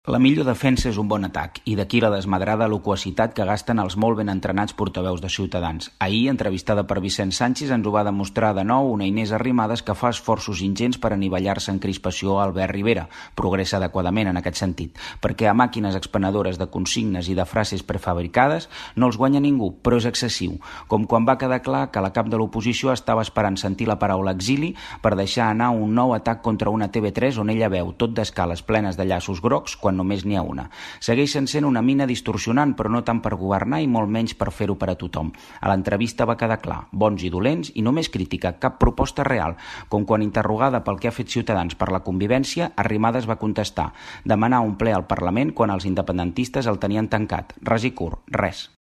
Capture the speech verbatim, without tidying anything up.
La millor defensa és un bon atac, i d'aquí la desmadrada loquacitat que gasten els molt ben entrenats portaveus de Ciutadans. Ahir, entrevistada per Vicent Sanchis, ens ho va demostrar de nou una Inés Arrimadas que fa esforços ingents per anivellar-se en crispació a Albert Rivera. Progressa adequadament en aquest sentit, perquè a màquines expenedores de consignes i de frases prefabricades no els guanya ningú, però és excessiu, com quan va quedar clar que la cap de l'oposició estava esperant sentir la paraula exili per deixar anar un nou atac contra una T V tres on ella veu tot d'escales plenes de llaços grocs quan només n'hi ha una. Segueixen sent una mina distorsionant, però no tant per governar i molt menys per fer-ho per a tothom. A l'entrevista va quedar clar, bons i dolents, i només crítica, cap proposta real, com quan interrogada pel que ha fet Ciutadans per la convivència, Arrimadas va contestar, demanar un ple al Parlament quan els independentistes el tenien tancat. Ras i curt, res.